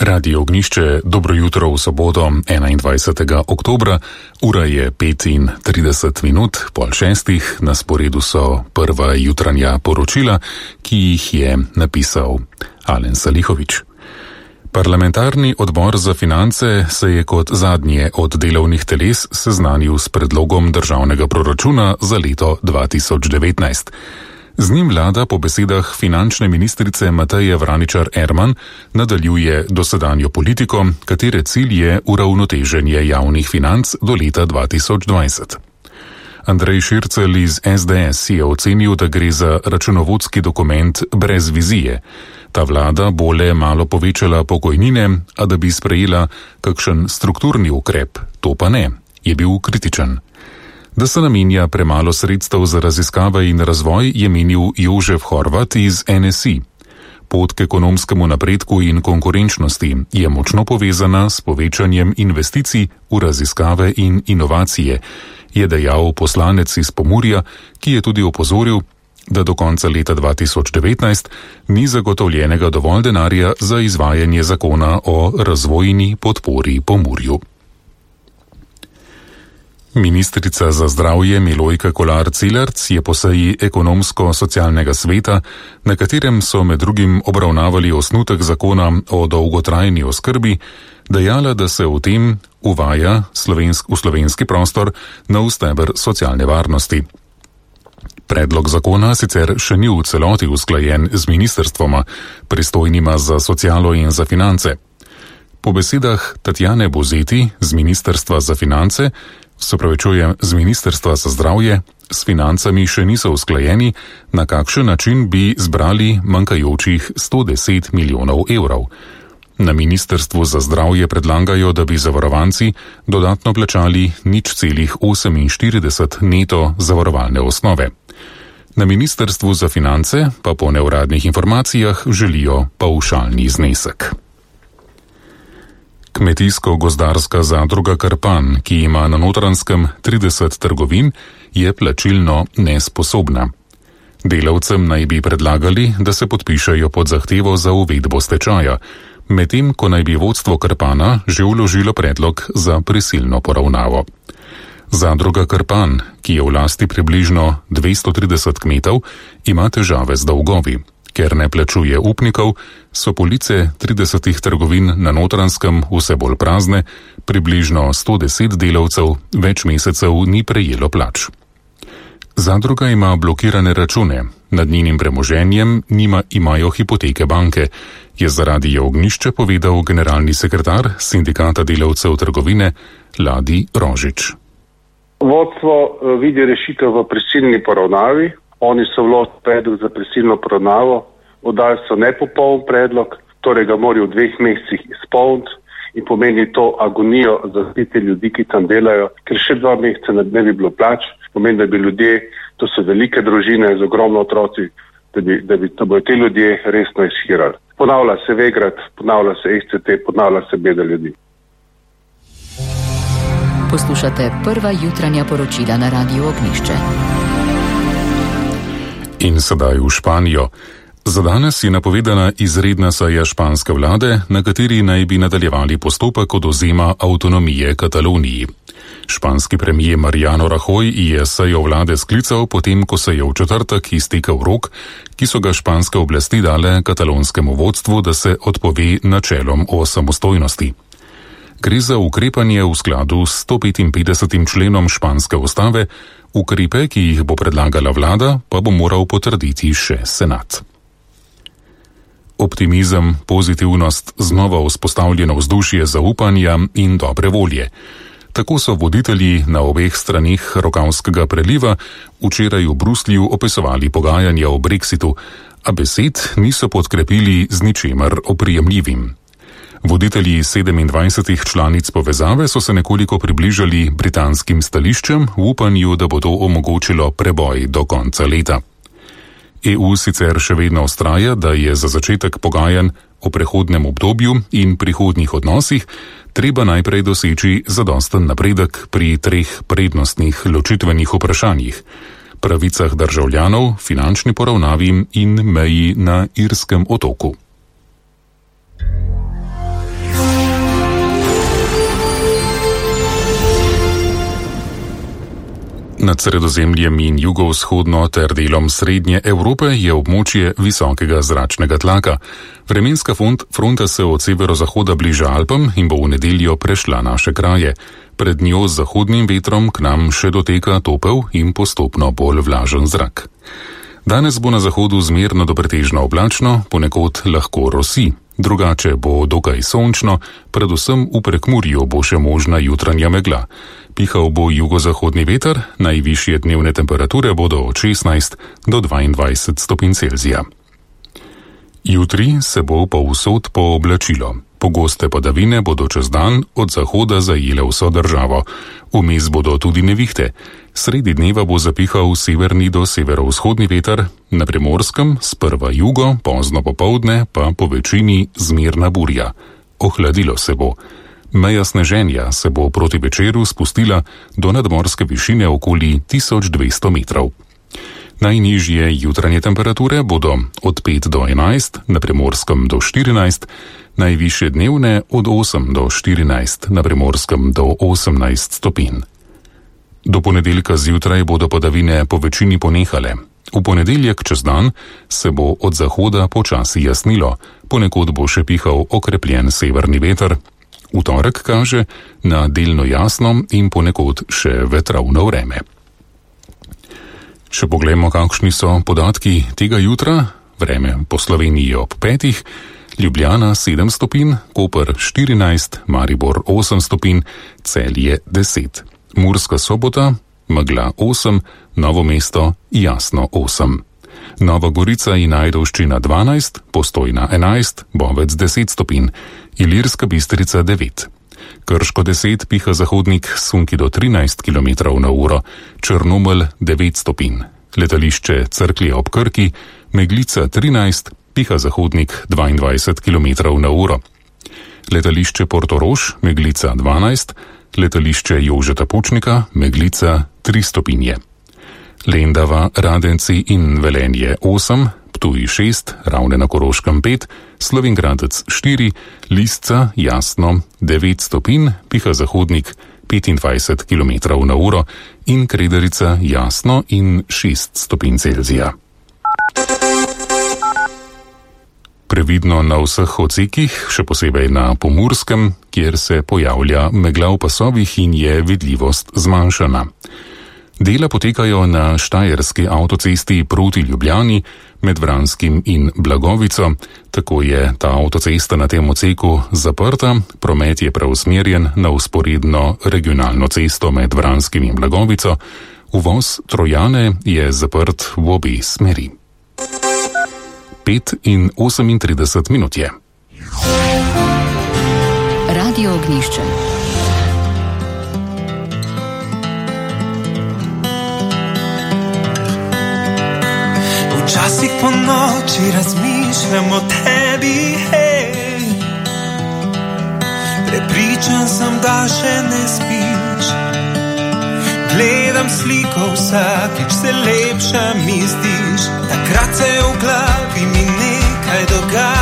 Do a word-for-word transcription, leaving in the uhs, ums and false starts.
Radio Ognjišče, dobro jutro v soboto, enaindvajsetega oktobra, ura je petintrideset minut, pol šestih, na sporedu so prva jutranja poročila, ki jih je napisal Alen Salihovič. Parlamentarni odbor za finance se je kot zadnje od delovnih teles seznanil s predlogom državnega proračuna za leto dva tisoč devetnajst. Z njim vlada po besedah finančne ministrice Mateje Vraničar Erman nadaljuje dosedanjo politiko, katere cilj je uravnoteženje javnih financ do leta dva tisoč dvajset. Andrej Šircelj iz es de es je ocenil, da gre za računovodski dokument brez vizije. Ta vlada bo le malo povečala pokojnine, a da bi sprejela kakšen strukturni ukrep, to pa ne, je bil kritičen. Da se namenja premalo sredstev za raziskave in razvoj, je menil Jožef Horvat iz en es i. Pot k ekonomskemu napredku in konkurenčnosti je močno povezana s povečanjem investicij v raziskave in inovacije, je dejal poslanec iz Pomurja, ki je tudi opozoril, da do konca leta dva tisoč devetnajst ni zagotovljenega dovolj denarja za izvajanje zakona o razvojni podpori Pomurju. Ministrica za zdravje Milojka Kolar Celarc je po seji ekonomsko-socialnega sveta, na katerem so med drugim obravnavali osnutek zakona o dolgotrajni oskrbi, dejala, da se v tem uvaja slovensk, v slovenski prostor nov steber socialne varnosti. Predlog zakona sicer še ni v celoti usklajen z ministrstvoma, pristojnima za socialo in za finance. Po besedah Tatjane Bozeti z Ministrstva za finance, se pravičujem, z Ministrstva za zdravje, s financami še niso usklajeni, na kakšen način bi zbrali manjkajočih sto deset milijonov evrov. Na Ministrstvu za zdravje predlagajo, da bi zavarovanci dodatno plačali nič celih oseminštirideset neto zavarovalne osnove. Na Ministrstvu za finance pa po neuradnih informacijah želijo pavšalni znesek. Kmetijsko-gozdarska zadruga Krpan, ki ima na Notranjskem trideset trgovin, je plačilno nesposobna. Delavcem naj bi predlagali, da se podpišejo pod zahtevo za uvedbo stečaja, medtem ko naj bi vodstvo Krpana že vložilo predlog za prisilno poravnavo. Zadruga Krpan, ki je v lasti približno dvesto trideset kmetov, ima težave z dolgovi. Ker ne plačuje upnikov, so police tridesetih trgovin na Notranjskem vse bolj prazne, približno sto deset delavcev več mesecev ni prejelo plač. Zadruga ima blokirane račune, nad njenim premoženjem nima, imajo hipoteke banke, je za Radio Ognjišče povedal generalni sekretar Sindikata delavcev trgovine Ladi Rožič. Vodstvo vidi rešitev v prisilni poravnavi. Oni so vložili predlog za prisilno poravnavo, oddali so nepopoln predlog, torej ga morajo v dveh mesecih izpolniti in pomeni to agonijo za te ljudi, ki tam delajo, ker še dva meseca ne bi bilo plač, pomeni, da bi ljudje, to so velike družine z ogromno otroci, da bi, da bi, da bi te ljudje resno izhirali. Ponavlja se Vegrad, ponavlja se es ce te, ponavlja se beda ljudi. Poslušate prva jutranja poročila na Radiu Ognjišče. In sedaj v Španijo. Za danes je napovedana izredna seja španske vlade, na kateri naj bi nadaljevali postopek odvzema avtonomije Kataloniji. Španski premijer Mariano Rajoy je sejo vlade sklical potem, ko se je v četrtek iztekel rok, ki so ga španske oblasti dale katalonskemu vodstvu, da se odpove načelom o samostojnosti. Gre za ukrepanje v skladu s sto petinpetdesetim členom španske ustave, ukrepe, ki jih bo predlagala vlada, pa bo moral potrditi še senat. Optimizem, pozitivnost, znova vzpostavljeno vzdušje zaupanja in dobre volje. Tako so voditelji na obeh stranih Rokavskega preliva včeraj v Bruslju opisovali pogajanja o brexitu, a besed niso podkrepili z ničemer oprijemljivim. Voditelji sedemindvajsetih članic povezave so se nekoliko približali britanskim stališčem v upanju, da bo to omogočilo preboj do konca leta. e u sicer še vedno vztraja, da je za začetek pogajanj o prehodnem obdobju in prihodnjih odnosih treba najprej doseči zadosten napredek pri treh prednostnih ločitvenih vprašanjih: pravicah državljanov, finančni poravnavi in meji na Irskem otoku. Nad Sredozemljem in jugovzhodno ter delom Srednje Evrope je območje visokega zračnega tlaka. Vremenska fronta se od severozahoda bliža Alpam in bo v nedeljo prešla naše kraje. Pred njo z zahodnim vetrom k nam še doteka topel in postopno bolj vlažen zrak. Danes bo na zahodu zmerno do pretežno oblačno, ponekod lahko rosi. Drugače bo dokaj sončno, predvsem v Prekmurju bo še možna jutranja megla. Pihal bo jugozahodni veter, najvišje dnevne temperature bodo od šestnajst do dvaindvajset stopinj Celzija. Jutri se bo povsod pooblačilo. Pogoste padavine bodo čez dan od zahoda zajele vso državo. Vmes bodo tudi nevihte. Sredi dneva bo zapihal severni do severovzhodni veter, na Primorskem sprva jugo, pozno popoldne pa po večini zmerna burja. Ohladilo se bo. Meja sneženja se bo proti večeru spustila do nadmorske višine okoli tisoč dvesto metrov. Najnižje jutranje temperature bodo od pet do enajst, na Primorskem do štirinajst, najvišje dnevne od osem do štirinajst, na Primorskem do osemnajst stopinj. Do ponedeljka zjutraj bodo padavine po večini ponehale. V ponedeljek čez dan se bo od zahoda počasi jasnilo, ponekod bo še pihal okrepljen severni veter. V torek kaže na delno jasno in ponekod še vetrovno vreme. Še poglejmo, kakšni so podatki tega jutra. Vreme po Sloveniji ob petih, Ljubljana sedem stopinj, Koper štirinajst, Maribor osem stopinj, Celje deset. Murska Sobota, megla osem, Novo mesto jasno osem. Nova Gorica in Ajdovščina dvanajst, Postojna enajst, Bovec deset stopinj, Ilirska Bistrica devet. Krško deset, piha zahodnik, sunki do trinajst kilometrov na uro, Črnomelj devet stopinj. Letališče Cerklje ob Krki, Meglica trinajst, piha zahodnik dvaindvajset kilometrov na uro. Letališče Portorož, Meglica dvanajst, letališče Jožeta Pučnika, Meglica tri stopinje. Lendava, Radenci in Velenje osem, Ptuj šest, Ravne na Koroškem pet, Slovenj Gradec štiri, Lisca jasno devet stopinj, piha zahodnik petindvajset kilometrov na uro in Kredarica jasno in šest stopinj Celzija. Previdno na vseh odsekih, še posebej na Pomurskem, kjer se pojavlja megla v pasovih in je vidljivost zmanjšana. Dela potekajo na Štajerski avtocesti proti Ljubljani med Vranskim in Blagovico, tako je ta avtocesta na tem odseku zaprta, promet je preusmerjen na vzporedno regionalno cesto med Vranskim in Blagovico, uvoz Trojane je zaprt v obe smeri. pet in osemintrideset minut je. Radio Ognjišče. Včasih po noči razmišljam o tebi, hej. Prepričan sem, da še ne spiš. Gledam sliko, vsakič se lepša mi zdiš. Takrat se v glavi mi nekaj dogaja.